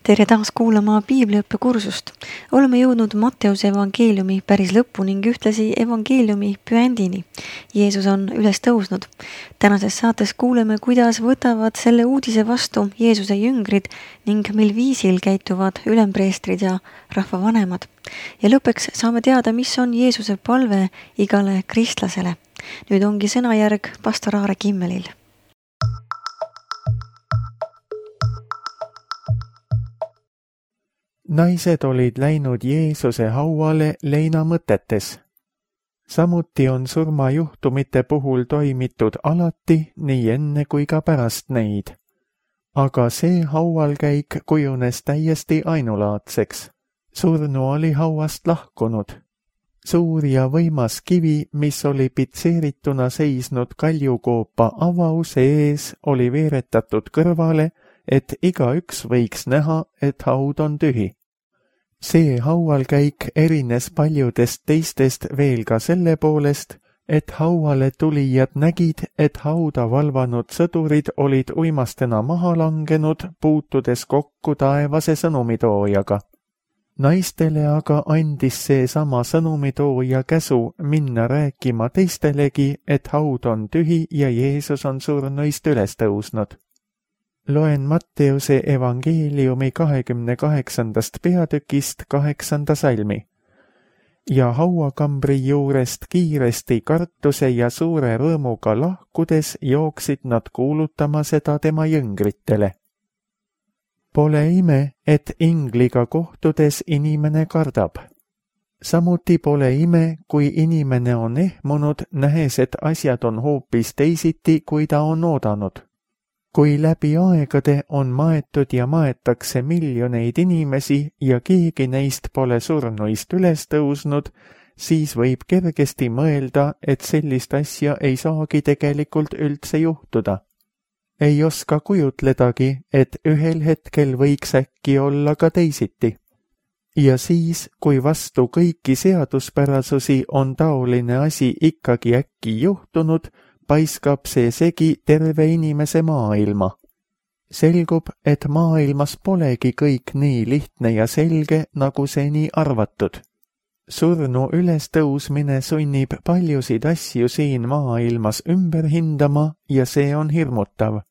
Tere taas kuulama Piibliõppe kursust. Oleme jõudnud Matteuse evangeeliumi päris lõppu ning ühtlasi evangeeliumi püändini. Jeesus on üles tõusnud. Tänases saates kuuleme, kuidas võtavad selle uudise vastu Jeesuse jüngrid ning mil viisil käituvad ülempreestrid ja rahvavanemad. Ja lõpuks saame teada, mis on Jeesuse palve igale kristlasele. Nüüd ongi sõnajärg pastor Aare Kimmelil. Naised olid läinud Jeesuse hauale leina mõtetes. Samuti on surmajuhtumite puhul toimitud alati nii enne kui ka pärast neid. Aga see haualkäik kujunes täiesti ainulaadseks. Surnu oli hauast lahkunud. Suur ja võimas kivi, mis oli pitseerituna seisnud kaljukoopa avause ees, oli veeretatud kõrvale, et igaüks võiks näha, et haud on tühi. See haualkäik erines paljudest teistest veel ka selle poolest, et hauale tulijad nägid, et hauda valvanud sõdurid olid uimastena maha langenud, puutudes kokku taevase sõnumitoojaga. Naistele aga andis see sama sõnumitooja käsu minna rääkima teistelegi, et haud on tühi ja Jeesus on surnuist üles tõusnud. Loen Matteuse evangeeliumi 28. peatükist 8. salmi. Ja hauakambri juurest kiiresti kartuse ja suure rõõmuga lahkudes jooksid nad kuulutama seda tema jüngritele. Pole ime, et ingliga kohtudes inimene kardab. Samuti pole ime, kui inimene on ehmunud, nähes, et asjad on hoopis teisiti, kui ta on oodanud. Kui läbi aegade on maetud ja maetakse miljoneid inimesi ja keegi neist pole surnuist üles tõusnud, siis võib kergesti mõelda, et sellist asja ei saagi tegelikult üldse juhtuda. Ei oska kujutledagi, et ühel hetkel võiks äkki olla ka teisiti. Ja siis, kui vastu kõiki seaduspärasusi on taoline asi ikkagi äkki juhtunud, paiskab see segi terve inimese maailma. Selgub, et maailmas polegi kõik nii lihtne ja selge, nagu seni arvatud. Surnu ülestõusmine sunnib paljusid asju siin maailmas ümber hindama ja see on hirmutav.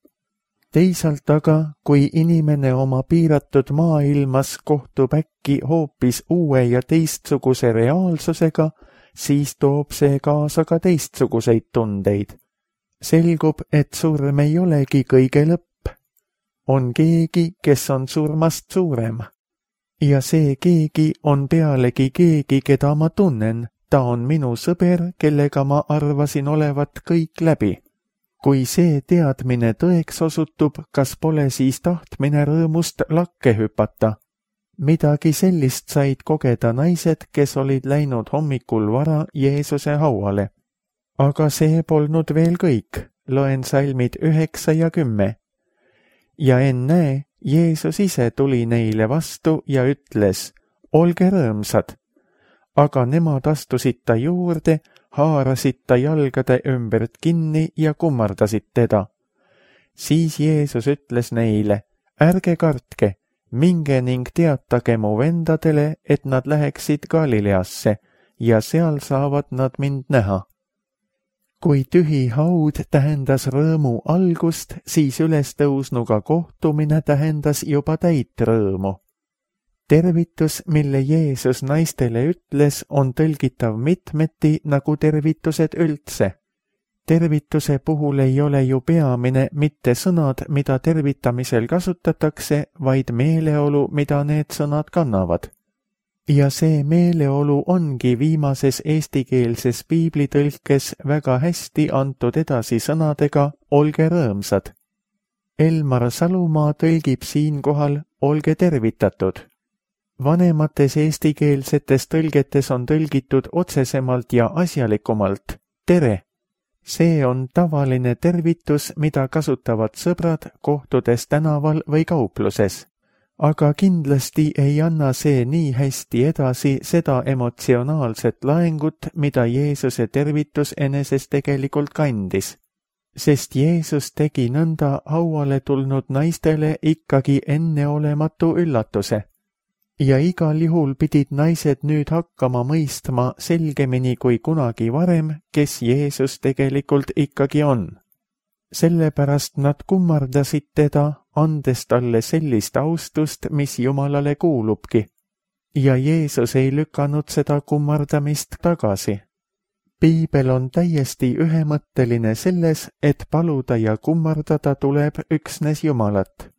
Teisalt aga, kui inimene oma piiratud maailmas kohtub äkki hoopis uue ja teistsuguse reaalsusega, siis toob see kaasa ka teistsuguseid tundeid. Selgub, et surm ei olegi kõige lõpp. On keegi, kes on surmast suurem. Ja see keegi on pealegi keegi, keda ma tunnen. Ta on minu sõber, kellega ma arvasin olevat kõik läbi. Kui see teadmine tõeks osutub, kas pole siis tahtmine rõõmust lakke hüpata? Midagi sellist said kogeda naised, kes olid läinud hommikul vara Jeesuse hauale. Aga see polnud veel kõik, loen salmid 9 ja 10. Ja ennäe, Jeesus ise tuli neile vastu ja ütles, olge rõõmsad. Aga nemad astusid ta juurde, haarasid ta jalgade ümbert kinni ja kummardasid teda. Siis Jeesus ütles neile, ärge kartke, minge ning teatage mu vendadele, et nad läheksid Galileasse ja seal saavad nad mind näha. Kui tühi haud tähendas rõõmu algust, siis ülestõusnuga kohtumine tähendas juba täit rõõmu. Tervitus, mille Jeesus naistele ütles, on tõlgitav mitmeti nagu tervitused üldse. Tervituse puhul ei ole ju peamine mitte sõnad, mida tervitamisel kasutatakse, vaid meeleolu, mida need sõnad kannavad. Ja see meeleolu ongi viimases eestikeelses piiblitõlkes väga hästi antud edasi sõnadega olge rõõmsad. Elmar Salumaa tõlgib siinkohal olge tervitatud. Vanemates eestikeelsetes tõlgetes on tõlgitud otsesemalt ja asjalikumalt tere. See on tavaline tervitus, mida kasutavad sõbrad kohtudes tänaval või kaupluses. Aga kindlasti ei anna see nii hästi edasi seda emotsionaalset laengut, mida Jeesuse tervitus eneses tegelikult kandis. sest Jeesus tegi nõnda hauale tulnud naistele ikkagi enneolematu üllatuse. Ja igal juhul pidid naised nüüd hakkama mõistma selgemini kui kunagi varem, kes Jeesus tegelikult ikkagi on. Sellepärast nad kummardasid teda, andes talle sellist austust, mis Jumalale kuulubki. Ja Jeesus ei lükanud seda kummardamist tagasi. Piibel on täiesti ühemõtteline selles, et paluda ja kummardada tuleb üksnes Jumalat.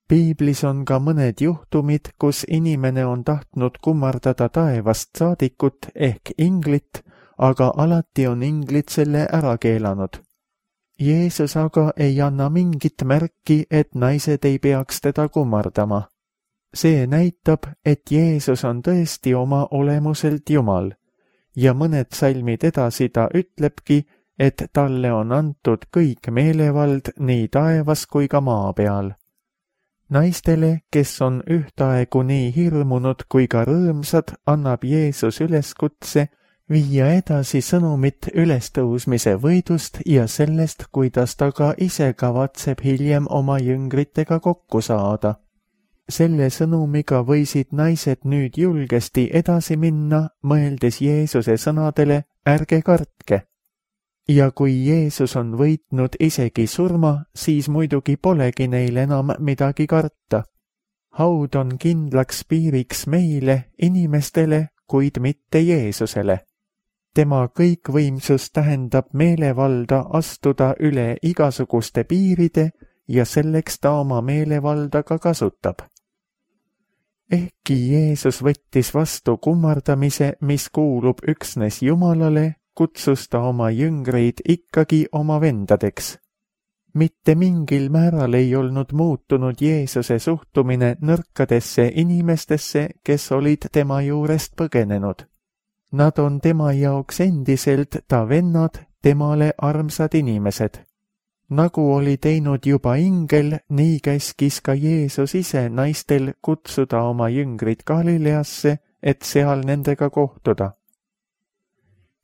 Piiblis on ka mõned juhtumid, kus inimene on tahtnud kummardada taevast saadikut ehk inglit, aga alati on inglid selle ära keelanud. Jeesus aga ei anna mingit märki, et naised ei peaks teda kummardama. See näitab, et Jeesus on tõesti oma olemuselt Jumal. Ja mõned salmid edasi ta ütlebki, et talle on antud kõik meelevald nii taevas kui ka maa peal. Naistele, kes on ühtaegu nii hirmunud kui ka rõõmsad, annab Jeesus üleskutse viia edasi sõnumit ülestõusmise võidust ja sellest, kuidas ta ka ise kavatseb hiljem oma jüngritega kokku saada. Selle sõnumiga võisid naised nüüd julgesti edasi minna, mõeldes Jeesuse sõnadele, ärge kartke. Ja kui Jeesus on võitnud isegi surma, siis muidugi polegi neil enam midagi karta. Haud on kindlaks piiriks meile, inimestele, kuid mitte Jeesusele. Tema kõikvõimsus tähendab meelevalda astuda üle igasuguste piiride ja selleks ta oma meelevalda ka kasutab. Ehkki Jeesus võttis vastu kummardamise, mis kuulub üksnes Jumalale, kutsus ta oma jüngreid ikkagi oma vendadeks. Mitte mingil määral ei olnud muutunud Jeesuse suhtumine nõrkadesse inimestesse, kes olid tema juurest põgenenud. Nad on tema jaoks endiselt ta vennad, temale armsad inimesed. Nagu oli teinud juba ingel, nii käskis ka Jeesus ise naistel kutsuda oma jüngrid Galileasse, et seal nendega kohtuda.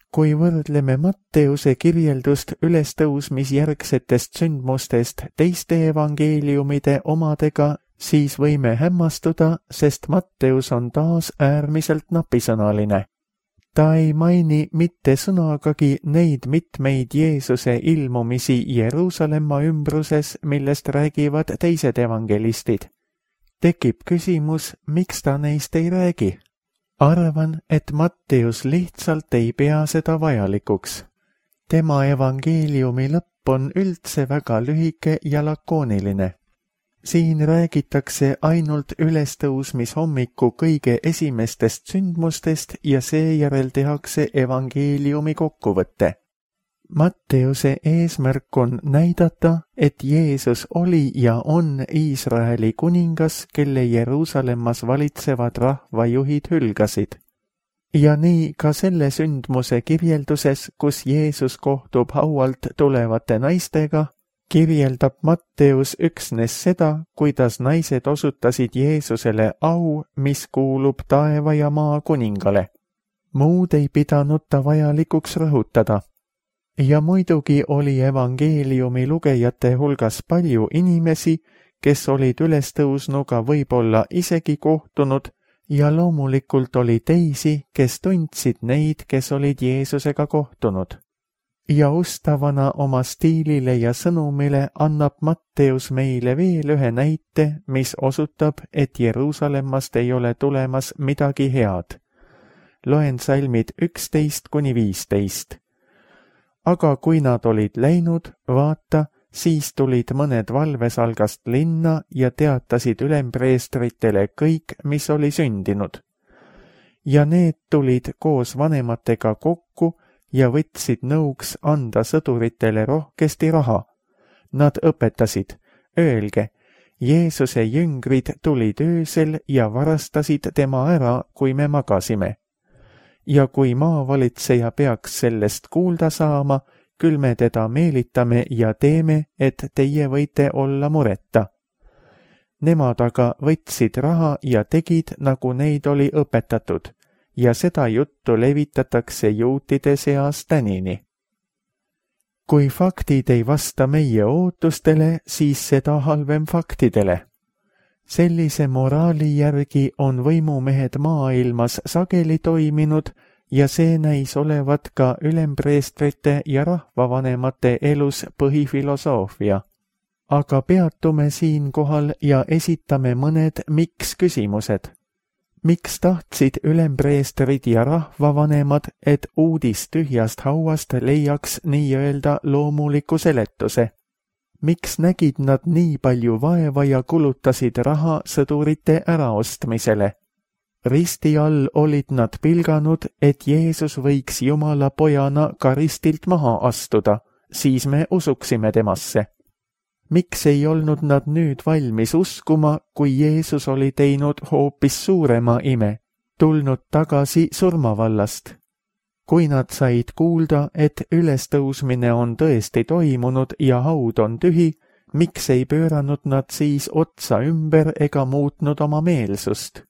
Kui võrdleme Matteuse kirjeldust ülestõusmisjärgsetest sündmustest teiste evangeeliumide omadega, siis võime hämmastuda, sest Matteus on taas äärmiselt napisõnaline. Ta ei maini mitte sõnagagi neid mitmeid Jeesuse ilmumisi Jeruusalemma ümbruses, millest räägivad teised evangelistid. Tekib küsimus, miks ta neist ei räägi? Arvan, et Matteus lihtsalt ei pea seda vajalikuks. Tema evangeeliumi lõpp on üldse väga lühike ja lakooniline. Siin räägitakse ainult ülestõusmishommiku kõige esimestest sündmustest ja seejärel tehakse evangeeliumi kokkuvõte. Matteuse eesmärk on näidata, et Jeesus oli ja on Iisraeli kuningas, kelle Jeruusalemmas valitsevad rahvajuhid hülgasid. Ja nii ka selle sündmuse kirjelduses, kus Jeesus kohtub haualt tulevate naistega, kirjeldab Matteus üksnes seda, kuidas naised osutasid Jeesusele au, mis kuulub taeva ja maa kuningale. Muud ei pidanud ta vajalikuks rõhutada. Ja muidugi oli evangeeliumi lugejate hulgas palju inimesi, kes olid ülestõusnuga võib-olla isegi kohtunud, ja loomulikult oli teisi, kes tundsid neid, kes olid Jeesusega kohtunud. Ja ustavana oma stiilile ja sõnumile annab Matteus meile veel ühe näite, mis osutab, et Jeruusalemmast ei ole tulemas midagi head. Loen salmid 11–15. Aga kui nad olid läinud, vaata, siis tulid mõned valvesalgast linna ja teatasid ülempreestritele kõik, mis oli sündinud. Ja need tulid koos vanematega kokku ja võtsid nõuks anda sõduritele rohkesti raha. Nad õpetasid, öelge, Jeesuse jüngrid tulid öösel ja varastasid tema ära, kui me magasime. Ja kui maavalitseja peaks sellest kuulda saama, küll me teda meelitame ja teeme, et teie võite olla mureta. Nemad aga võtsid raha ja tegid, nagu neid oli õpetatud, ja seda juttu levitatakse juutide seas tänini. Kui faktid ei vasta meie ootustele, siis seda halvem faktidele. Sellise moraali järgi on võimumehed maailmas sageli toiminud ja see näis olevat ka ülempreestrite ja rahvavanemate elus põhifilosoofia. Aga peatume siinkohal ja esitame mõned miks-küsimused. Miks tahtsid ülempreestrid ja rahvavanemad, et uudis tühjast hauast leiaks nii-öelda loomuliku seletuse? Miks nägid nad nii palju vaeva ja kulutasid raha sõdurite äraostmisele? Risti all olid nad pilganud, et Jeesus võiks Jumala pojana ka ristilt maha astuda, siis me usuksime temasse. Miks ei olnud nad nüüd valmis uskuma, kui Jeesus oli teinud hoopis suurema ime, tulnud tagasi surmavallast? Kui nad said kuulda, et ülestõusmine on tõesti toimunud ja haud on tühi, miks ei pööranud nad siis otsa ümber ega muutnud oma meelsust?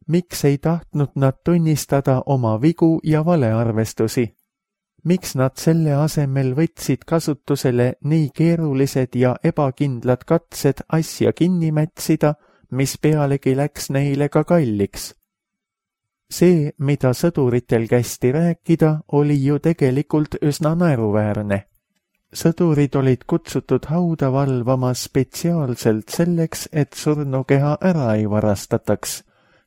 Miks ei tahtnud nad tunnistada oma vigu ja valearvestusi? Miks nad selle asemel võtsid kasutusele nii keerulised ja ebakindlad katsed asja kinni mätsida, mis pealegi läks neile ka kalliks? See, mida sõduritel kästi rääkida, oli ju tegelikult üsna naeruväärne. Sõdurid olid kutsutud hauda valvama spetsiaalselt selleks, et surnukeha ära ei varastataks.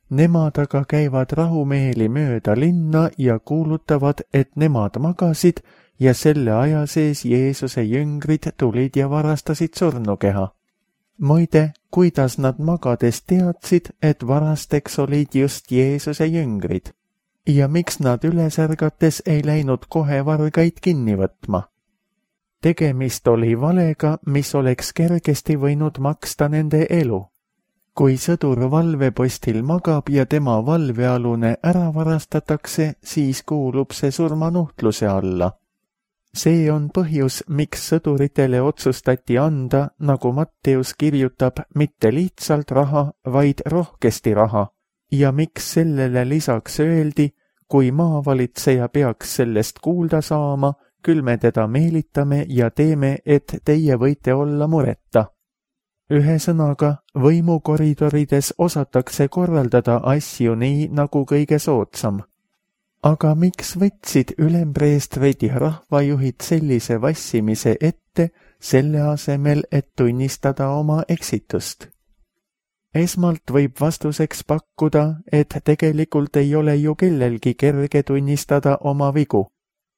Nemad aga käivad rahumeeli mööda linna ja kuulutavad, et nemad magasid ja selle aja sees Jeesuse jüngrid tulid ja varastasid surnukeha. Muide, kuidas nad magades teadsid, et varasteks olid just Jeesuse jüngrid? Ja miks nad üles ärgates ei läinud kohe vargaid kinni võtma? Tegemist oli valega, mis oleks kergesti võinud maksta nende elu. Kui sõdur valvepostil magab ja tema valvealune ära varastatakse, siis kuulub see surmanuhtluse alla. See on põhjus, miks sõduritele otsustati anda, nagu Matteus kirjutab, mitte lihtsalt raha, vaid rohkesti raha. Ja miks sellele lisaks öeldi, kui maavalitseja peaks sellest kuulda saama, küll me teda meelitame ja teeme, et teie võite olla mureta. Ühesõnaga, võimukoridorides osatakse korraldada asju nii, nagu kõige soodsam. Aga miks võtsid ülempreestrid ja rahvajuhid sellise vassimise ette, selle asemel, et tunnistada oma eksitust? Esmalt võib vastuseks pakkuda, et tegelikult ei ole ju kellelgi kerge tunnistada oma vigu.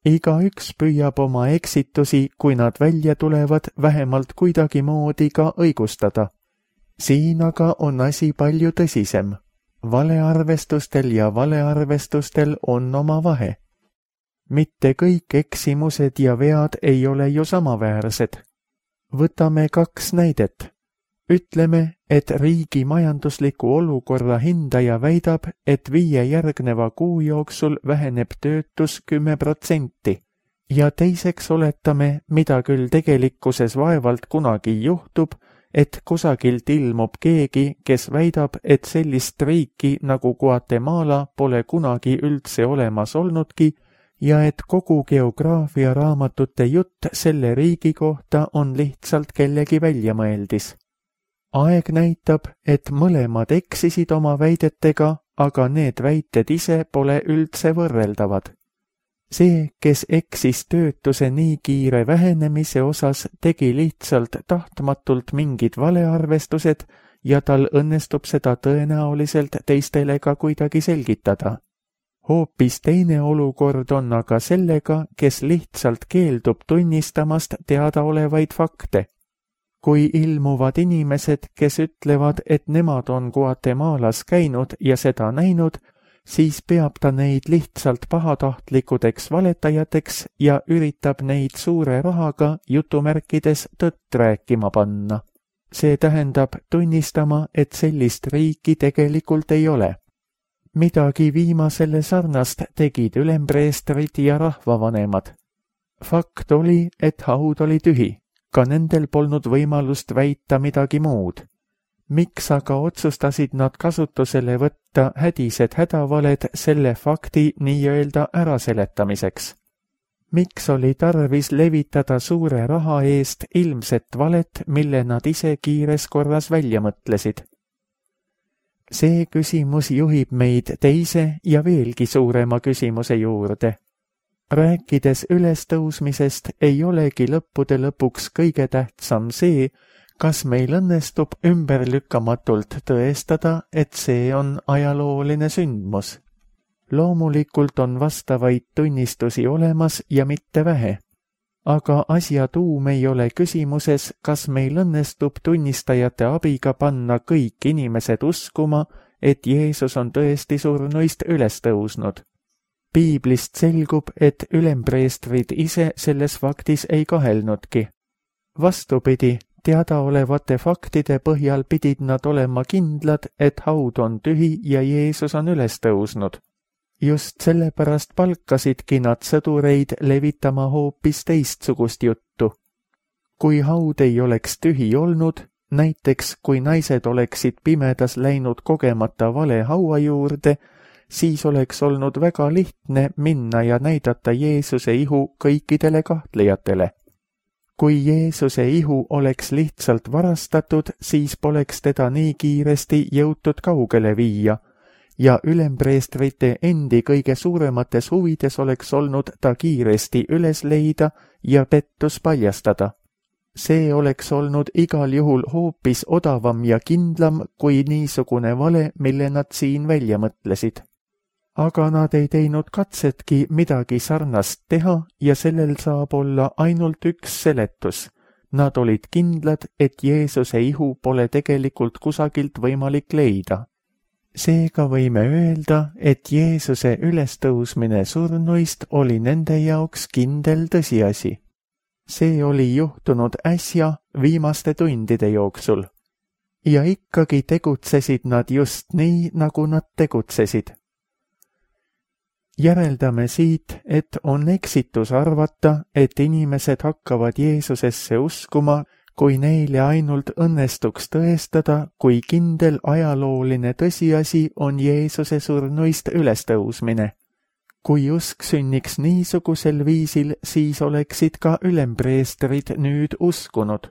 Igaüks püüab oma eksitusi, kui nad välja tulevad, vähemalt kuidagi moodi ka õigustada. Siin aga on asi palju tõsisem. Valearvestustel ja valearvestustel on oma vahe. Mitte kõik eksimused ja vead ei ole ju samaväärsed. Võtame 2 näidet. Ütleme, et riigi majandusliku olukorra hindaja väidab, et 5 järgneva kuu jooksul väheneb töötus 10% ja teiseks oletame, mida küll tegelikkuses vaevalt kunagi juhtub, et kusagilt ilmub keegi, kes väidab, et sellist riiki nagu Guatemala pole kunagi üldse olemas olnudki ja et kogu geograafia raamatute jutt selle riigi kohta on lihtsalt kellegi väljamõeldis. Aeg näitab, et mõlemad eksisid oma väidetega, aga need väited ise pole üldse võrreldavad. See, kes eksis töötuse nii kiire vähenemise osas, tegi lihtsalt tahtmatult mingid valearvestused ja tal õnnestub seda tõenäoliselt teistele ka kuidagi selgitada. Hoopis teine olukord on aga sellega, kes lihtsalt keeldub tunnistamast teadaolevaid fakte. Kui ilmuvad inimesed, kes ütlevad, et nemad on Guatemalas käinud ja seda näinud, siis peab ta neid lihtsalt pahatahtlikudeks valetajateks ja üritab neid suure rahaga jutumärkides tõtt rääkima panna. See tähendab tunnistama, et sellist riiki tegelikult ei ole. Midagi viimasele sarnast tegid ülempreestrid ja rahvavanemad. Fakt oli, et haud oli tühi. Ka nendel polnud võimalust väita midagi muud. Miks aga otsustasid nad kasutusele võtta hädised hädavaled selle fakti nii-öelda äraseletamiseks? Miks oli tarvis levitada suure raha eest ilmset valet, mille nad ise kiires korras välja mõtlesid? See küsimus juhib meid teise ja veelgi suurema küsimuse juurde. Rääkides ülestõusmisest ei olegi lõppude lõpuks kõige tähtsam see, kas meil õnnestub ümberlükkamatult tõestada, et see on ajalooline sündmus. Loomulikult on vastavaid tunnistusi olemas ja mitte vähe. Aga asja tuum ei ole küsimuses, kas meil õnnestub tunnistajate abiga panna kõik inimesed uskuma, et Jeesus on tõesti surnuist üles tõusnud. Piiblist selgub, et ülempreestrid ise selles faktis ei kahelnudki. Vastupidi, teadaolevate faktide põhjal pidid nad olema kindlad, et haud on tühi ja Jeesus on üles tõusnud. Just sellepärast palkasidki nad sõdureid levitama hoopis teistsugust juttu. Kui haud ei oleks tühi olnud, näiteks kui naised oleksid pimedas läinud kogemata vale haua juurde, siis oleks olnud väga lihtne minna ja näidata Jeesuse ihu kõikidele kahtlejatele. Kui Jeesuse ihu oleks lihtsalt varastatud, siis poleks teda nii kiiresti jõutud kaugele viia, ja ülempreestrite endi kõige suuremates huvides oleks olnud ta kiiresti üles leida ja pettus paljastada. See oleks olnud igal juhul hoopis odavam ja kindlam kui niisugune vale, mille nad siin välja mõtlesid. Aga nad ei teinud katsetki midagi sarnast teha ja sellel saab olla ainult üks seletus. Nad olid kindlad, et Jeesuse ihu pole tegelikult kusagilt võimalik leida. Seega võime öelda, et Jeesuse ülestõusmine surnuist oli nende jaoks kindel tõsiasi. See oli juhtunud äsja viimaste tundide jooksul. Ja ikkagi tegutsesid nad just nii, nagu nad tegutsesid. Järeldame siit, et on eksitus arvata, et inimesed hakkavad Jeesusesse uskuma, kui neile ainult õnnestuks tõestada, kui kindel ajalooline tõsiasi on Jeesuse surnuist ülestõusmine. Kui usk sünniks niisugusel viisil, siis oleksid ka ülempreestrid nüüd uskunud.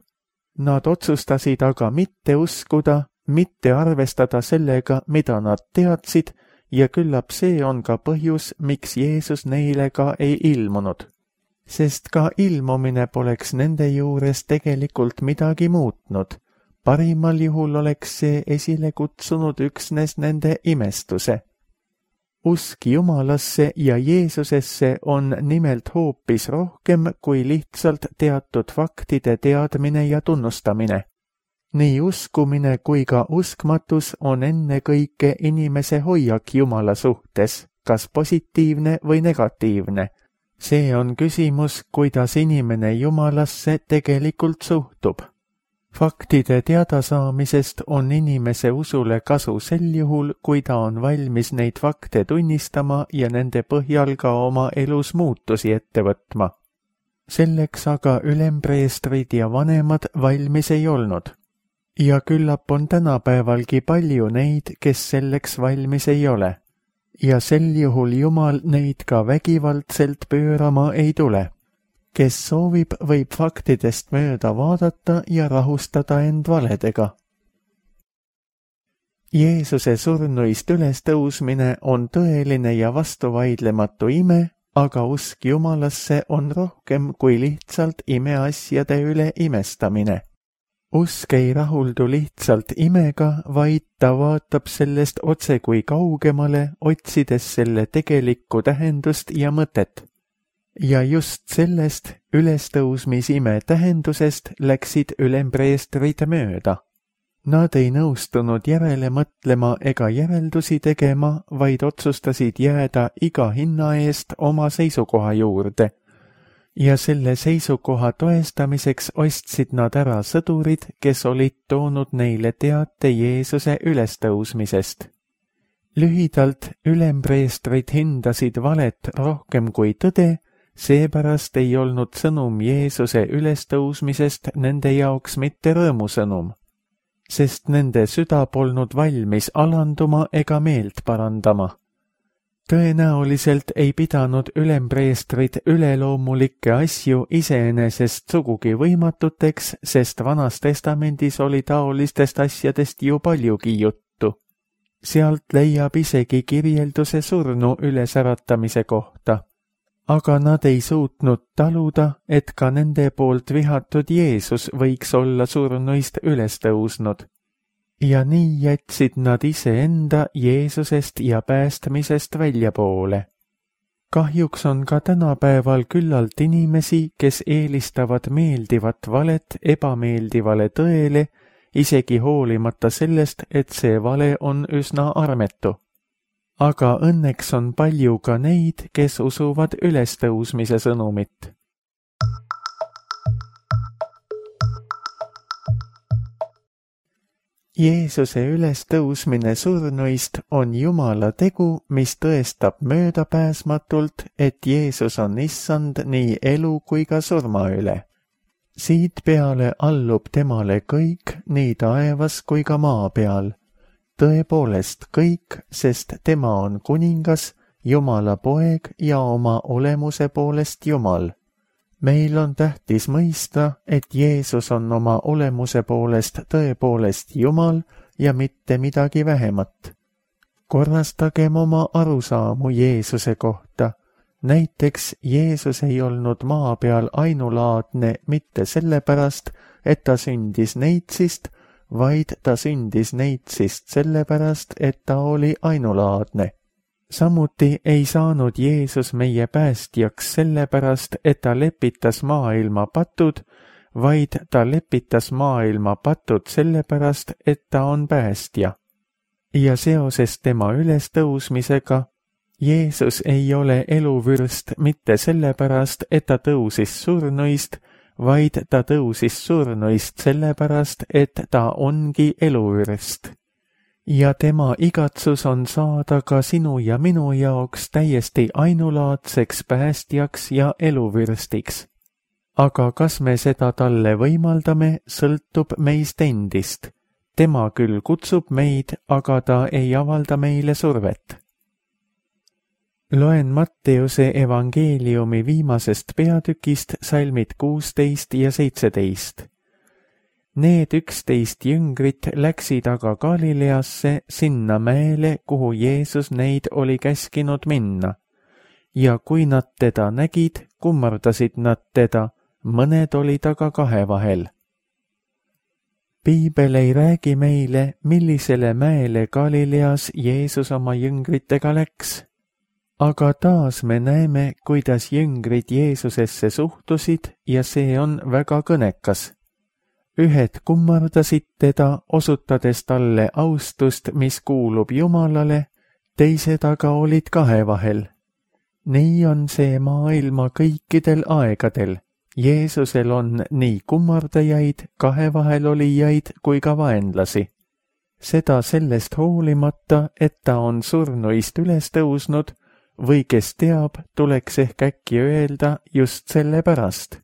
Nad otsustasid aga mitte uskuda, mitte arvestada sellega, mida nad teadsid, ja küllap see on ka põhjus, miks Jeesus neile ka ei ilmunud. Sest ka ilmumine poleks nende juures tegelikult midagi muutnud. Parimal juhul oleks see esile kutsunud üksnes nende imestuse. Usk Jumalasse ja Jeesusesse on nimelt hoopis rohkem kui lihtsalt teatud faktide teadmine ja tunnustamine. Nii uskumine kui ka uskmatus on ennekõike inimese hoiak Jumala suhtes, kas positiivne või negatiivne. See on küsimus, kuidas inimene Jumalasse tegelikult suhtub. Faktide teadasaamisest on inimese usule kasu sel juhul, kui ta on valmis neid fakte tunnistama ja nende põhjal ka oma elus muutusi ette võtma. Selleks aga ülempreestrid ja vanemad valmis ei olnud. Ja küllap on tänapäevalgi palju neid, kes selleks valmis ei ole. Ja sel juhul Jumal neid ka vägivaldselt pöörama ei tule. Kes soovib, võib faktidest mööda vaadata ja rahustada end valedega. Jeesuse surnuist ülestõusmine on tõeline ja vastuvaidlematu ime, aga usk Jumalasse on rohkem kui lihtsalt imeasjade üle imestamine. Usk ei rahuldu lihtsalt imega, vaid ta vaatab sellest otse kui kaugemale, otsides selle tegelikku tähendust ja mõtet. Ja just sellest ülestõusmisime tähendusest läksid ülempreestrid mööda. Nad ei nõustunud järele mõtlema ega järeldusi tegema, vaid otsustasid jääda iga hinna eest oma seisukoha juurde. Ja selle seisukoha toestamiseks ostsid nad ära sõdurid, kes olid toonud neile teate Jeesuse ülestõusmisest. Lühidalt ülempreestrid hindasid valet rohkem kui tõde, seepärast ei olnud sõnum Jeesuse ülestõusmisest nende jaoks mitte rõõmusõnum, sest nende süda polnud valmis alanduma ega meelt parandama. Tõenäoliselt ei pidanud ülempreestrid üleloomulikke asju iseenesest sugugi võimatuteks, sest Vanas Testamendis oli taolistest asjadest ju paljugi juttu. Sealt leiab isegi kirjelduse surnu ülesäratamise kohta. Aga nad ei suutnud taluda, et ka nende poolt vihatud Jeesus võiks olla surnuist üles tõusnud. Ja nii jätsid nad iseenda Jeesusest ja päästmisest väljapoole. Kahjuks on ka tänapäeval küllalt inimesi, kes eelistavad meeldivat valet ebameeldivale tõele, isegi hoolimata sellest, et see vale on üsna armetu. Aga õnneks on palju ka neid, kes usuvad ülestõusmise sõnumit. Jeesuse ülestõusmine surnuist on Jumala tegu, mis tõestab möödapääsmatult, et Jeesus on issand nii elu kui ka surma üle. Siit peale allub temale kõik, nii taevas kui ka maa peal. Tõepoolest kõik, sest tema on kuningas, Jumala poeg ja oma olemuse poolest Jumal. Meil on tähtis mõista, et Jeesus on oma olemuse poolest tõepoolest Jumal ja mitte midagi vähemat. Korrastagem oma arusaamu Jeesuse kohta. Näiteks Jeesus ei olnud maa peal ainulaadne mitte sellepärast, et ta sündis neitsist, vaid ta sündis neitsist sellepärast, et ta oli ainulaadne. Samuti ei saanud Jeesus meie päästjaks sellepärast, et ta lepitas maailma patud, vaid ta lepitas maailma patud sellepärast, et ta on päästja. Ja seoses tema ülestõusmisega, Jeesus ei ole eluvürst mitte sellepärast, et ta tõusis surnuist, vaid ta tõusis surnuist sellepärast, et ta ongi eluvürst. Ja tema igatsus on saada ka sinu ja minu jaoks täiesti ainulaadseks päästjaks ja eluvürstiks. Aga kas me seda talle võimaldame, sõltub meist endist. Tema küll kutsub meid, aga ta ei avalda meile survet. Loen Matteuse evangeeliumi viimasest peatükist salmid 16 ja 17. Need 11 jüngrit läksid aga Galileasse sinna mäele, kuhu Jeesus neid oli käskinud minna. Ja kui nad teda nägid, kummardasid nad teda, mõned olid aga kahe vahel. Piibel ei räägi meile, millisele mäele Galileas Jeesus oma jüngritega läks. Aga taas me näeme, kuidas jüngrid Jeesusesse suhtusid ja see on väga kõnekas. Ühed kummardasid teda, osutades talle austust, mis kuulub Jumalale, teised aga olid kahe vahel. Nii on see maailma kõikidel aegadel. Jeesusel on nii kummardajaid, kahe vahel olijaid kui ka vaenlasi. Seda sellest hoolimata, et ta on surnuist üles tõusnud, või kes teab, tuleks ehk äkki öelda just selle pärast.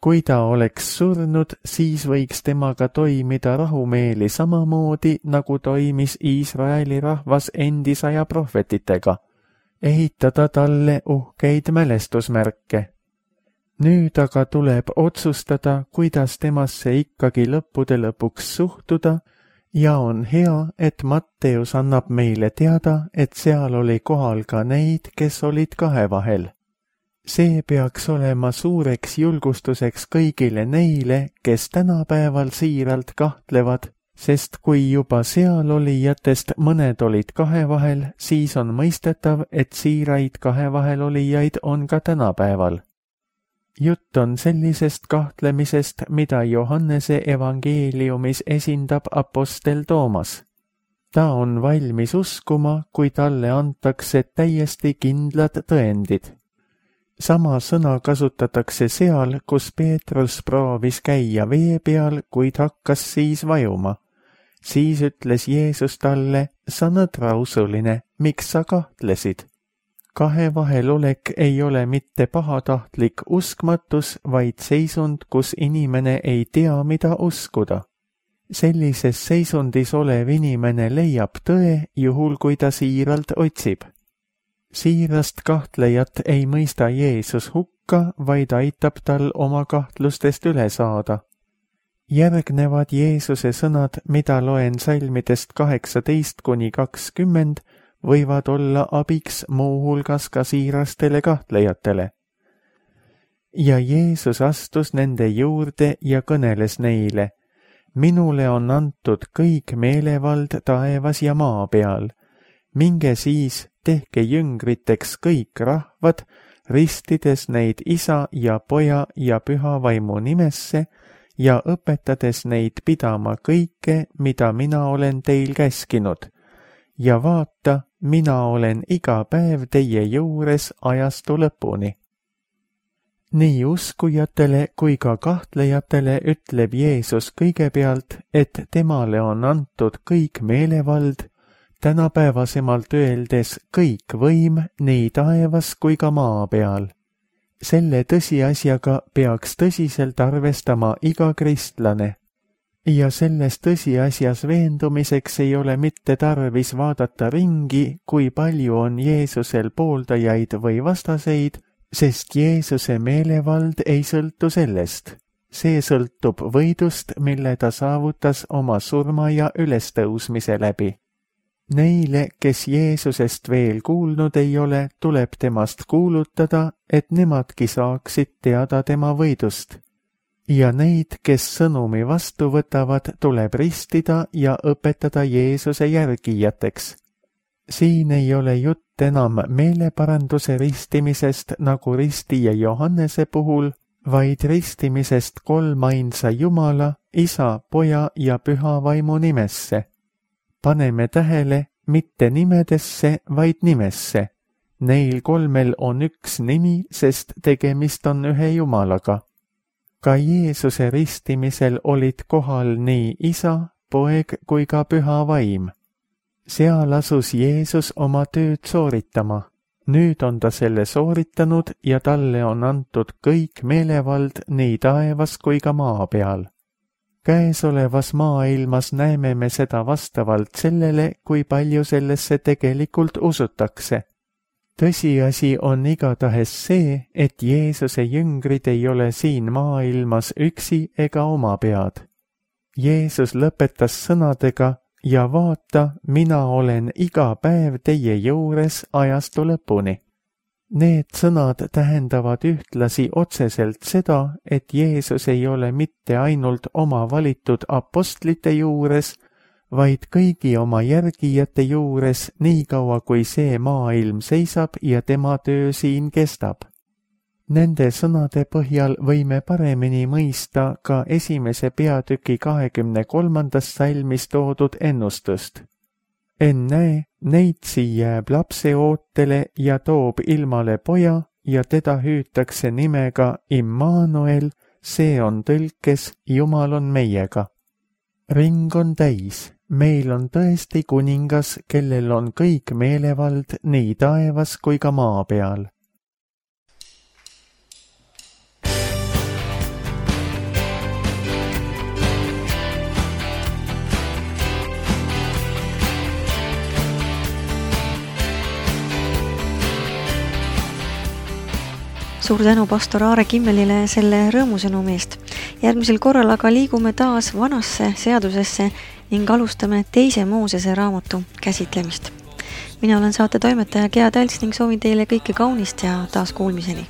Kui ta oleks surnud, siis võiks temaga toimida rahumeeli samamoodi, nagu toimis Iisraeli rahvas endisaja prohvetitega, ehitada talle uhkeid mälestusmärke. Nüüd aga tuleb otsustada, kuidas temasse ikkagi lõppude lõpuks suhtuda, ja on hea, et Matteus annab meile teada, et seal oli kohal ka neid, kes olid kahe vahel. See peaks olema suureks julgustuseks kõigile neile, kes tänapäeval siiralt kahtlevad, sest kui juba seal olijatest mõned olid kahe vahel, siis on mõistetav, et siiraid kahe vahel olijaid on ka tänapäeval. Jutt on sellisest kahtlemisest, mida Johannese evangeeliumis esindab apostel Toomas. Ta on valmis uskuma, kui talle antakse täiesti kindlad tõendid. Sama sõna kasutatakse seal, kus Peetrus proovis käia vee peal, kuid hakkas siis vajuma. Siis ütles Jeesus talle, sa nõdrausuline, miks sa kahtlesid? Kahe vahel olek ei ole mitte pahatahtlik uskmatus, vaid seisund, kus inimene ei tea, mida uskuda. Sellises seisundis olev inimene leiab tõe, juhul kui ta siiralt otsib. siirast kahtlejat ei mõista Jeesus hukka, vaid aitab tal oma kahtlustest üle saada. Järgnevad Jeesuse sõnad, mida loen salmidest 18–20, võivad olla abiks muuhulgas ka siirastele kahtlejatele. Ja Jeesus astus nende juurde ja kõneles neile: minule on antud kõik meelevald taevas ja maa peal. Minge siis, tehke jüngriteks kõik rahvad, ristides neid Isa ja Poja ja Püha Vaimu nimesse ja õpetades neid pidama kõike, mida mina olen teil käskinud. Ja vaata, mina olen iga päev teie juures ajastu lõpuni. Nii uskujatele kui ka kahtlejatele ütleb Jeesus kõigepealt, et temale on antud kõik meelevald, tänapäevasemalt öeldes kõik võim nii taevas kui ka maa peal. Selle tõsiasjaga peaks tõsiselt arvestama iga kristlane. Ja selles tõsiasjas veendumiseks ei ole mitte tarvis vaadata ringi, kui palju on Jeesusel pooldajaid või vastaseid, sest Jeesuse meelevald ei sõltu sellest. See sõltub võidust, mille ta saavutas oma surma ja ülestõusmise läbi. Neile, kes Jeesusest veel kuulnud ei ole, tuleb temast kuulutada, et nemadki saaksid teada tema võidust. Ja neid, kes sõnumi vastu võtavad, tuleb ristida ja õpetada Jeesuse järgijateks. Siin ei ole jutt enam meeleparanduse ristimisest nagu ristija Johannese puhul, vaid ristimisest kolmainsa Jumala, Isa, Poja ja Püha Vaimu nimesse. Paneme tähele, mitte nimedesse, vaid nimesse. Neil kolmel on üks nimi, sest tegemist on ühe Jumalaga. Ka Jeesuse ristimisel olid kohal nii Isa, Poeg kui ka Püha Vaim. Seal asus Jeesus oma tööd sooritama. Nüüd on ta selle sooritanud ja talle on antud kõik meelevald nii taevas kui ka maa peal. Käesolevas maailmas näeme me seda vastavalt sellele, kui palju sellesse tegelikult usutakse. Tõsiasi on igatahes see, et Jeesuse jüngrid ei ole siin maailmas üksi ega oma pead. Jeesus lõpetas sõnadega: ja vaata, mina olen iga päev teie juures ajastu lõpuni. Need sõnad tähendavad ühtlasi otseselt seda, et Jeesus ei ole mitte ainult oma valitud apostlite juures, vaid kõigi oma järgijate juures nii kaua, kui see maailm seisab ja tema töö siin kestab. Nende sõnade põhjal võime paremini mõista ka 1. peatüki 23. salmis toodud ennustust. Ennäe, neitsi jääb lapse ootele ja toob ilmale poja ja teda hüütakse nimega Immanuel, see on tõlkes Jumal on meiega. Ring on täis, meil on tõesti kuningas, kellel on kõik meelevald nii taevas kui ka maa peal. Suur tänu pastor Aare Kimmelile selle rõõmusõnumi eest. Järgmisel korral aga liigume taas vanasse seadusesse ning alustame 2. Moosese raamatu käsitlemist. Mina olen saate toimetaja Gea Talts ning soovin teile kõike kaunist ja taas kuulmiseni.